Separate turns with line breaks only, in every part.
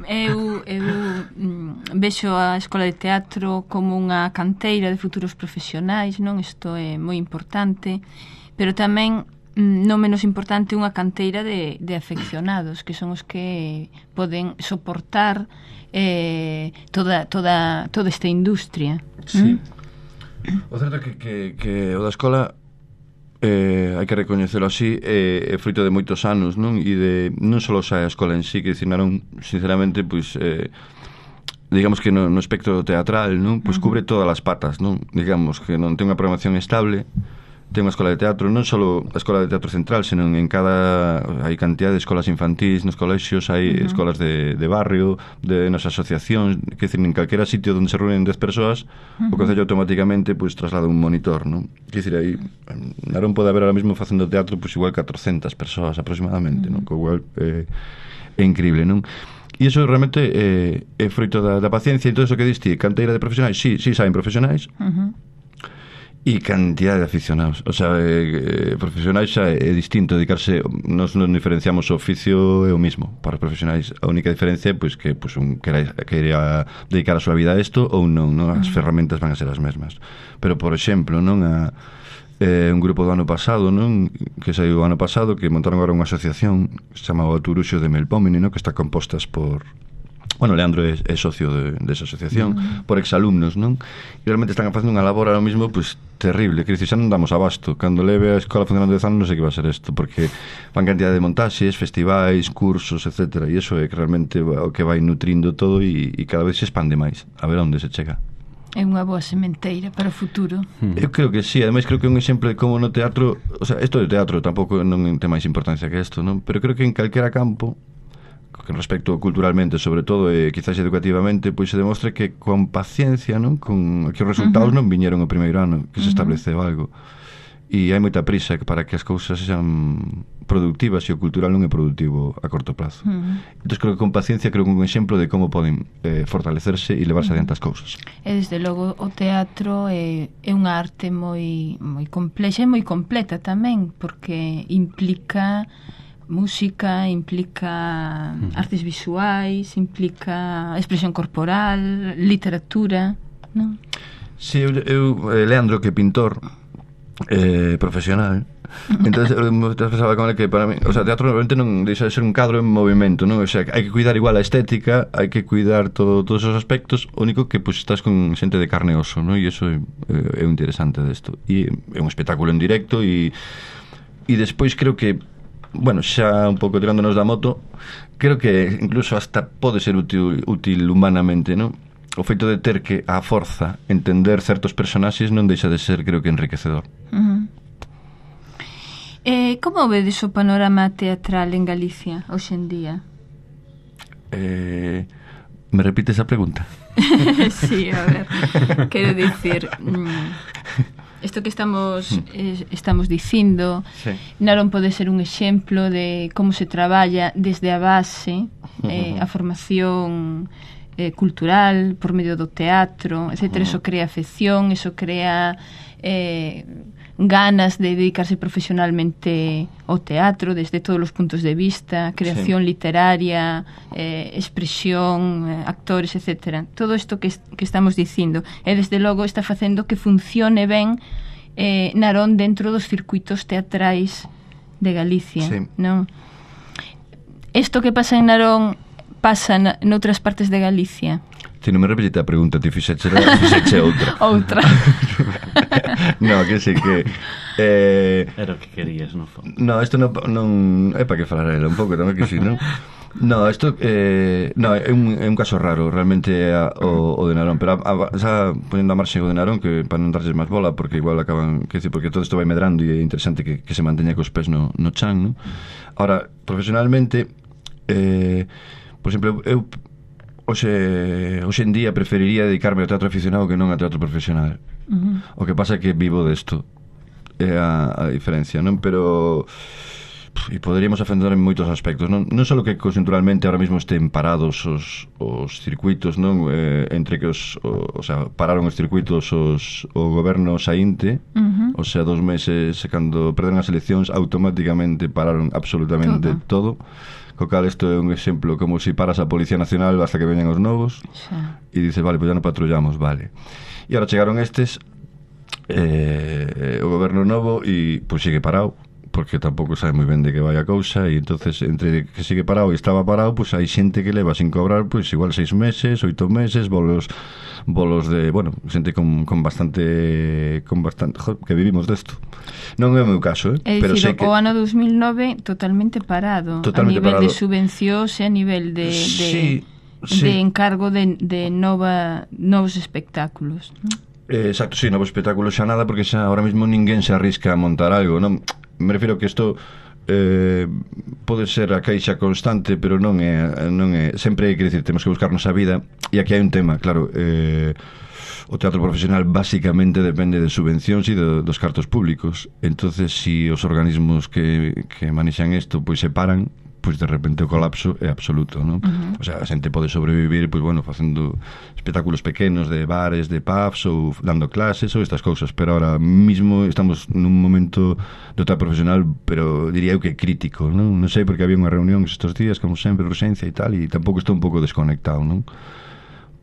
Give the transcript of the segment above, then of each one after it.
Eu vexo a Escola de Teatro como unha canteira de futuros profesionais, non? Isto é moi importante, pero tamén non menos importante unha canteira de afeccionados, que son os que poden soportar toda esta industria.
Sí. O certo é que o da escola hai que recoñecelo así, é fruito de moitos anos, non? E de non só a escola en sí, que dicinaron, sinceramente, pois digamos que no espectro teatral, non? Pois cubre todas as patas, non? Digamos que non ten unha programación estable, ten unha escola de teatro, non só a escola de teatro central, senón en cada hai cantidad de escolas infantís nos colexios, hai escolas de barrio, de nas asociacións, que dicir, en calquera sitio onde se reúnen 10 persoas, o concello automáticamente pois traslada un monitor, non? Que dicir, aí Narón pode haber ahora mesmo facendo teatro pois igual 400 persoas aproximadamente, non? Que igual é increíble, non? E iso realmente é froito da paciencia. E todo iso que diste, canteira de profesionais, sí saben profesionais, e cantidad de aficionados, o sea, profesionais xa é distinto dedicarse, nos non diferenciamos o oficio é o mismo para os profesionais, a única diferencia é pois, que pois, un queira dedicar a súa vida a isto ou non, as ferramentas van a ser as mesmas, pero por exemplo non un grupo do ano pasado, non, que saiu o ano pasado, que montaron agora unha asociación que se chama o Turuxo de Melpómene, non, que está compostas por Leandro é socio desa asociación, por exalumnos, non? E realmente están facendo unha labor ahora mismo pois terrible, que dice, xa non damos abasto. Cando leve a escola funcionando 10 anos non sei que va a ser isto, porque van cantidad de montaxes, festivais, cursos, etc. E iso é que realmente o que vai nutrindo todo e cada vez se expande máis, a ver onde se chega.
É unha boa sementeira para o futuro.
Eu creo que sí, ademais creo que é un exemplo de como no teatro, o sea, isto de teatro tampouco non ten máis importancia que isto, non? Pero creo que en calquera campo, que respecto culturalmente, sobre todo, e quizás educativamente, pois se demostra que con paciencia, non? Con que os resultados non viñeron o primeiro ano que se estableceu algo. E hai moita prisa para que as cousas sexan productivas, e o cultural non é productivo a corto prazo. Entón, creo que con paciencia creo que un exemplo de como poden fortalecerse e levarse adiante as cousas.
E desde logo o teatro é unha arte moi complexa e moi completa tamén, porque implica música, implica artes visuais, implica expresión corporal, literatura, non?
Si, eu Leandro, que é pintor profesional, entonces pensaba con ele que para mí, o sea, teatro realmente non deixa de ser un cadro en movimento, non? O sea, hai que cuidar igual a estética, hai que cuidar todos esos aspectos, o único que pues estás con xente de carne e oso, non? E iso é interesante desto. E é un espectáculo en directo e despois creo que xa un pouco tirándonos da moto, creo que incluso hasta pode ser útil humanamente, non? O feito de ter que, a forza, entender certos personaxes non deixa de ser, creo que, enriquecedor.
Como vedes o panorama teatral en Galicia hoxe en día?
Me repites a pregunta?
Sí, a ver, quero dicir... Isto que estamos dicindo, sí. Narón pode ser un exemplo de como se traballa desde a base, a formación cultural por medio do teatro, etc. Eso crea afección, eso crea ganas de dedicarse profesionalmente ao teatro desde todos os puntos de vista, creación literaria, expresión, actores, etc. Todo isto que estamos dicindo e desde logo está facendo que funcione ben Narón dentro dos circuitos teatrais de Galicia, non? Isto que pasa en Narón pasa noutras partes de Galicia?
Si non me repetiste a pregunta, ti fixeche outra.
Outra.
No, que sei que
era o que querías, no fondo.
No, isto non é para que falara ela un pouco tamén, que si, non? No, isto é un caso raro realmente o de Narón, pero xa ponendo a marxe o de Narón, que para non darlles máis bola, porque igual acaban, que decir, porque todo isto vai medrando e é interesante que se manteña cos pés no chan, non? Ahora, profesionalmente, por exemplo, eu hoxe en día preferiría dedicarme ao teatro aficionado que non ao teatro profesional. O que pasa é que vivo desto, é a diferencia, non? Pero e poderíamos ofender en moitos aspectos, non só que conxunturalmente ahora mesmo estén parados os circuitos, non? Entre que pararon os circuitos o goberno saínte, o sea, 2 meses cando perderon as eleccións automáticamente pararon absolutamente todo. co cal isto é un exemplo como se paras a Policía Nacional basta que veñan os novos e dices, vale, pois ya non patrullamos, vale. E agora chegaron estes o goberno novo e pois sigue parado porque tampouco sabe moi ben de que vai a cousa e entonces entre que sigue parado e estaba parado, pois hai xente que leva sin cobrar pois igual 6 meses, 8 meses, bolos de, bueno, xente con bastante que vivimos desto. Non é o meu caso,
pero sei que o ano 2009 totalmente parado, a nivel de subvencións e a nivel de encargo de novos espectáculos, non?
Exacto, sí, novos espectáculos xa nada porque xa ahora mesmo ninguén se arrisca a montar algo, non? Me refiro que isto pode ser a queixa constante, pero non é sempre hai que dicir, temos que buscarnos a vida e aquí hai un tema, claro, o teatro profesional basicamente depende de subvencións e dos cartos públicos, entonces si os organismos que manexan isto pois se paran, pois de repente o colapso é absoluto, non? O sea, a xente pode sobrevivir, pois bueno, facendo espectáculos pequenos de bares, de pubs ou dando clases ou estas cousas, pero ahora mismo estamos nun momento do teatro profesional, pero diría eu que crítico, non? Non sei, porque había unha reunión estes días, como sempre, urxencia e tal, e tampouco estou un pouco desconectado, non?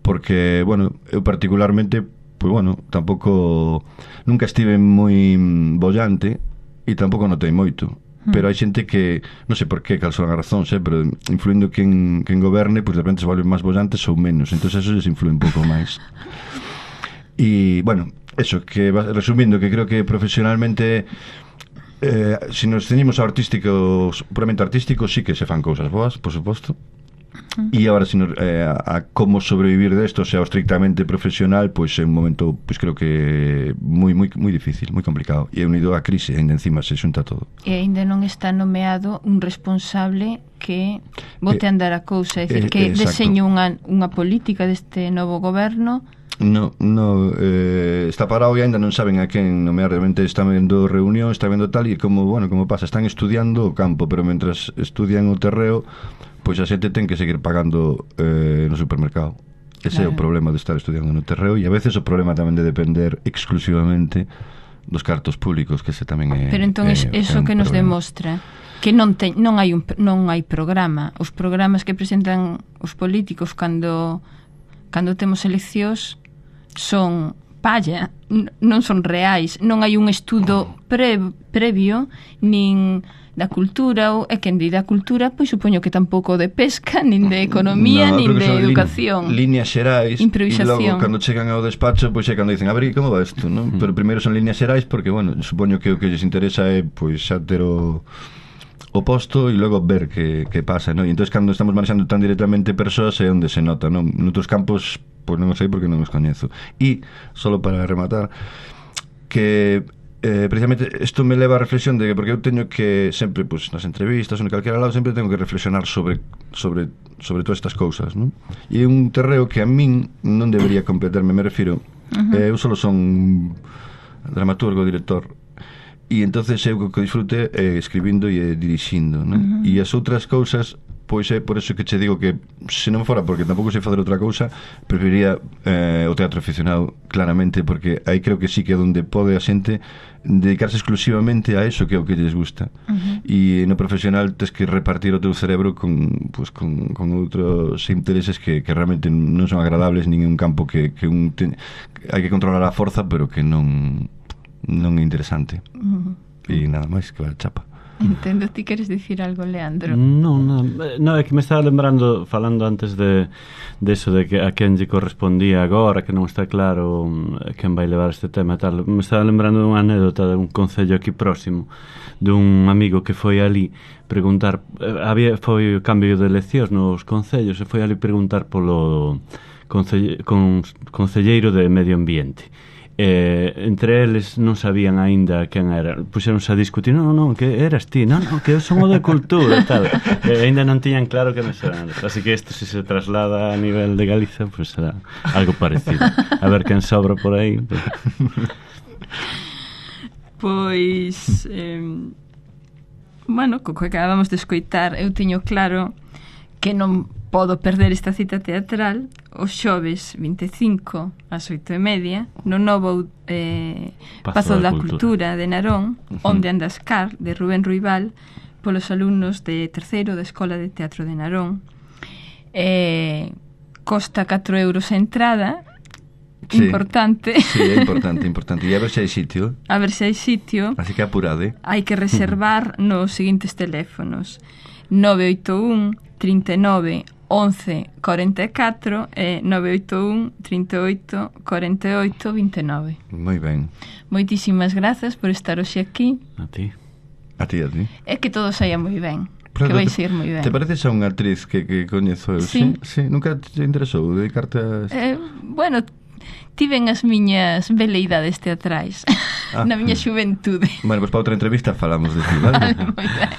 Porque, bueno, eu particularmente, pois bueno, tampouco nunca estive moi bollante e tampouco notei moito. Pero hai xente que, non sei por qué, cal son as razóns, pero influindo quen goberne, pois de repente se volven máis bollantes ou menos, entón eso les influe un pouco máis. E, bueno, eso, que resumindo, que creo que profesionalmente se nos ceñimos ao artístico, puramente artístico, sí que se fan cousas boas, por suposto. E agora a como sobrevivir desto, sea estrictamente profesional, pois é un momento, pois creo que moi difícil, moi complicado, e é unido á crise, ainda encima se xunta todo.
E ainda non está nomeado un responsable que bote a andar a cousa, é dicir, que deseñe unha política deste novo goberno.
No, está parado e ainda non saben a quen nomear. Realmente están vendo reunión, está vendo tal, e como pasa, están estudiando o campo, pero mentras estudian o terreo, pois a xente ten que seguir pagando no supermercado. Ese é o problema de estar estudiando no terreo, e a veces o problema tamén de depender exclusivamente dos cartos públicos, que ese tamén é.
Pero entón eso que nos demostra que non hai programa. Os programas que presentan os políticos cando temos eleccións son palla, non son reais, non hai un estudo previo nin da cultura, ou quen di da cultura, pois supoño que tampouco de pesca, nin de economía, nin de educación.
Líneas xerais,
improvisación.
E logo cando chegan ao despacho, pois é cando dicen, a ver, como va isto, non? Pero primeiro son líneas xerais porque, bueno, supoño que o que lles interesa é pois xa ter o posto e logo ver que pasa, non? E entón cando estamos manexando tan directamente persoas é onde se nota, non? Noutros campos, pois non o sei porque non os coñezo. E, solo para rematar, que precisamente isto me leva a reflexión de que, porque eu teño que sempre, pois, nas entrevistas ou en calquera lado, sempre tengo que reflexionar sobre todas estas cousas, non? E é un terreo que a min non debería competerme, me refiro, eu solo son dramaturgo, director, e entonces eu que disfrute escribindo e dirixindo, non? E as outras cousas, pois é por eso que che digo que se non fora porque tampouco sei facer outra cousa, preferiría o teatro aficionado, claramente, porque aí creo que sí que é onde pode a xente dedicarse exclusivamente a eso que é o que lles gusta. E no profesional tens que repartir o teu cerebro con outros intereses que realmente non son agradables, nin un campo que hai que controlar a forza, pero que non é interesante. E nada máis, que vale chapa.
Entendo, ti queres dicir algo, Leandro?
No, é que me estaba lembrando, falando antes de eso, de que a quen lle correspondía agora, que non está claro quen vai levar este tema e tal. Me estaba lembrando dunha anécdota de un concello aquí próximo, dun amigo que foi ali preguntar, foi o cambio de eleccións nos concellos, e foi ali preguntar polo concelleiro de Medio Ambiente. Entre eles non sabían aínda quen era, puxeronse a discutir, non, que eras ti, non, que eu son o de cultura e tal, aínda non tiñan claro que non eran, así que isto se traslada a nivel de Galiza, pues será algo parecido, a ver quen sobra por aí.
Pois bueno, co que acabamos de escoitar, eu teño claro que non podo perder esta cita teatral os xoves 25 ás 8:30 no novo Pazo da Cultura de Narón, onde andas car, de Rubén Ruibal, polos alumnos de terceiro da Escola de Teatro de Narón. Costa 4 euros a entrada. Sí, importante.
Sí, é importante. E a ver se hai sitio.
Así
que apurade.
Hai que reservar nos seguintes teléfonos: 981 39 11 44 e 981 38 48 29.
Moi ben.
Moitísimas grazas por estar hoxe aquí.
A ti.
É que todo saia moi ben. Que vai ser moi ben.
Te pareces a unha actriz que coñezo eu?
Sí.
Nunca te interesou dedicarte a...
Bueno, tiven as miñas veleidades teatrais na miña xuventude.
Bueno, pois para outra entrevista falamos de ti, vale?
Moi ben.